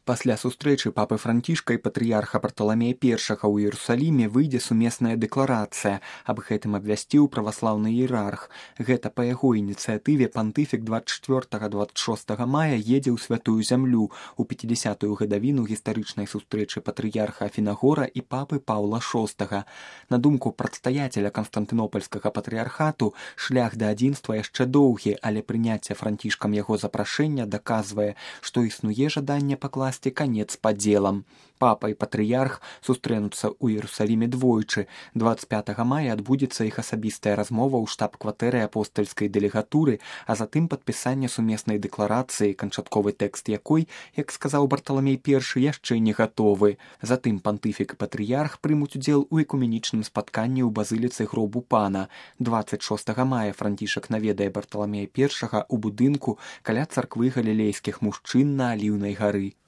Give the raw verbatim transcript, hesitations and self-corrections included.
Пасля сустрэчы папы Францішка і патрыярха Барталамея першага ў Іерусаліме выйдзе сумесная дэкларацыя. Аб гэтым абвясціў праваслаўны іерарх. Гэта па яго ініцыятыве пантыфік дваццаць чвёртага - дваццаць шостага мая едзе ў святую зямлю у пяцідзясятую гадавіну гістарычнай сустрэчы патрыярха Афінагора і папы Паўла шостага. На думку прадстаяцеля канстантынопальскага патрыярхату, шлях да адзінства яшчэ доўгі, але прыняцце Францішкам яго запрашэння даказвае, што існуе жаданне пакласці канец падзелам. Папа і патрыярх сустрэнуцца ў Іерусаліме двойчы. дваццаць пятага мая адбудзецца іх асабістая размова ў штаб-кватэры апостальскай дэлегатуры, а затым падпісанне сумеснай дэкларацыі, канчатковы тэкст якой, як сказаў Барталамей першы, яшчэ не гатовы. Затым пантыфік і патрыярх прымуць удзел у экуменічным спатканні ў базыліцы гробу пана. дваццаць шостага мая Францішак наведае Барталамея першага ў будынку каля царквы галілейскіх мужчын на Аліўнай гары.